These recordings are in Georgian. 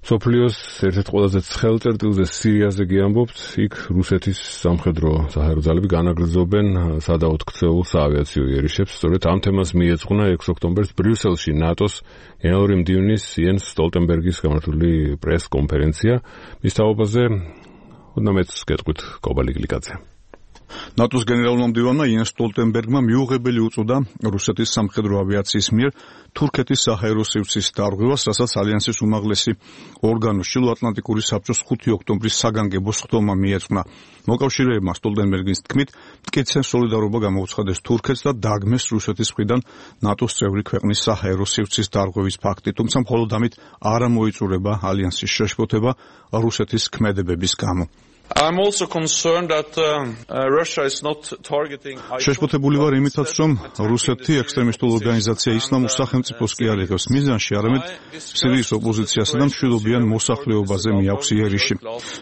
სოფლიოს ერთ-ერთ ყველაზე ცხელ წერტილზე სირიაზე გიამბობთ, იქ რუსეთის სამხედრო საჰაერო ძალები განაგრძობენ სადავოდ ქცეულ საავიაციო იერიშებს. სწორედ ამ თემას მიეძღვნა 6 ოქტომბერს ბრიუსელში ნატოს გენერალური მდივნის იენს სტოლტენბერგის გამართული პრეს-კონფერენცია. მის თაობაზე უდნამეც გეტყვით კობალი გლიკაძე. ნატოს გენერალურმა მდივანმა იენს სტოლტენბერგმა მიუღებელი უწოდა რუსეთის სამხედრო ავიაციის მიერ თურქეთის საჰაერო სივრცის დარღვევას, რასაც ალიანსის უმაღლესი ორგანო ჩრდილოატლანტიკური საბჭოს 5 ოქტომბრის საგანგებო სხდომა მიეძღვნა. მოკავშირეებმა სტოლტენბერგის თქმით, მტკიცე სოლიდარობა გამოუცხადეს თურქეთს და დაგმეს რუსეთის მხრიდან ნატოს წევრი ქვეყნის საჰაერო სივრცის დარღვევის ფაქტი, თუმცა მხოლოდ ამით არ მოიწურება ალიანსის შეშფოთება რუსეთის ქმედებების გამო. I'm also concerned that Russia is not targeting შეშფოთებული ვარ იმითაც, რომ რუსეთი ექსტრემისტულ ორგანიზაცია ისლამურ სახელმწიფოს კი არ იღებს მიზანში, არამედ სირიის ოპოზიციასა და მშვიდობიან მოსახლეობაზე მიაქვს იერიში.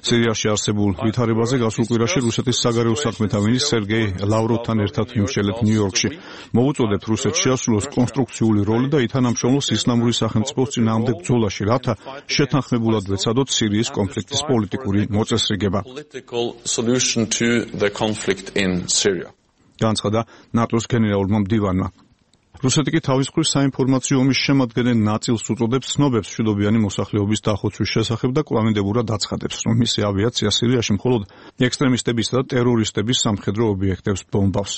სირიაში არსებულ ვითარებაზე გასულ კვირაში რუსეთის საგარეო საქმეთა მინისტრ სერგეი ლავროვთან ერთად ვიმსჯელეთ ნიუ-იორკში. მოვუწოდეთ რუსეთს შეასრულოს კონსტრუქციული როლი და ითანამშრომლოს ისლამური სახელმწიფოს წინააღმდეგ ბრძოლაში, რათა შეთანხმებულად ვეცადოთ სირიის კონფლიქტის პოლიტიკური მოწესრიგება. Political solution to the conflict in Syria. განცხადა ნატოს გენერალურმა მდივანმა. რუსეთი კი თავის მხრივ საინფორმაციო ომის შემადგენელ ნაწილს უწოდებს ცნობებს მშვიდობიანი მოსახლეობის დახოცვის შესახებ და კვლავინდებურად აცხადებს, რომ მისი ავიაცია სირიაში მხოლოდ ექსტრემისტებისა და ტერორისტების სამხედრო ობიექტებს ბომბავს.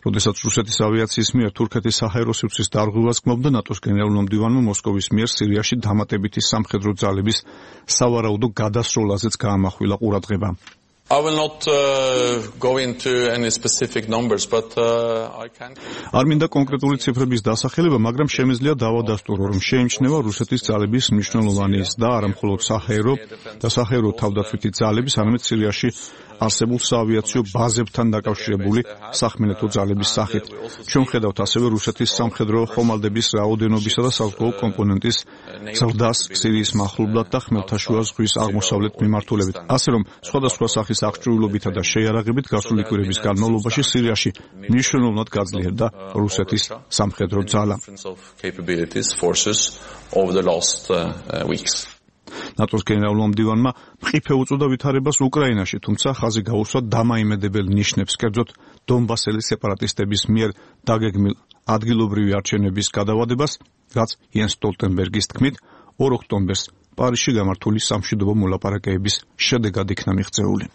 როდესაც რუსეთის ავიაციის მიერ თურქეთის საჰაერო სივრცის დარღვევას გმობდა, ნატოს გენერალურმა მდივანმა მოსკოვის მიერ სირიაში დამატებითი სამხედრო ძალების სავარაუდო გადასროლაზეც გაამახვილა ყურადღება. I will not go into any specific numbers, but I can. არ მინდა კონკრეტული ციფრების დასახელება, მაგრამ შემიძლია დავადასტურო, რომ შეიმჩნევა რუსეთის ძალების მნიშვნელოვანი და არა მხოლოდ საჰაერო თავდაცვითი ძალების, არამედ სირიაში არსებულ საავიაციო ბაზებთან დაკავშირებული სახმელეთო ძალების სახით. ჩვენ ვხედავთ ასევე რუსეთის სამხედრო ხომალდების რაოდენობისა და საზღვაო კომპონენტის ზრდას სირიის მახლობლად და ხმელთაშუა ზღვის აღმოსავლეთ მიმართულებით. ასე რომ, სხვადასხვა სახის აღჭურვილობითა და შეიარაღებით გასული კვირების განმავლობაში სირიაში მნიშვნელოვნად გაძლიერდა რუსეთის სამხედრო ძალა. ნატოს გენერალურმა მდივანმა მყიფე უწოდა ვითარებას უკრაინაში, თუმცა ხაზი გაუსვა დამაიმედებელ ნიშნებს, კერძოდ დონბასელი სეპარატისტების მიერ დაგეგმილ ადგილობრივი არჩევნების გადავადებას, რაც იენს სტოლტენბერგის თქმით 2 ოქტომბერს პარიზში გამართული სამშვიდობო მოლაპარაკებების შედეგად იქნა მიღწეული.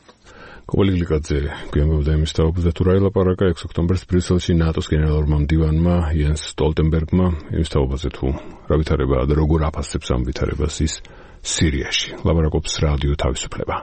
კობალი გლიკაძე გვიამბობდა იმის თაობაზე, თუ რა ელაპარაკა 6 ოქტომბერს ბრიუსელში ნატოს გენერალურმა მდივანმა იენს სტოლტენბერგმა იმის თაობაზე, თუ რა ვითარებაა და როგორ აფასებს ამ ვითარებას ის სირიაში. ლაპარაკობს რადიო თავისუფლება.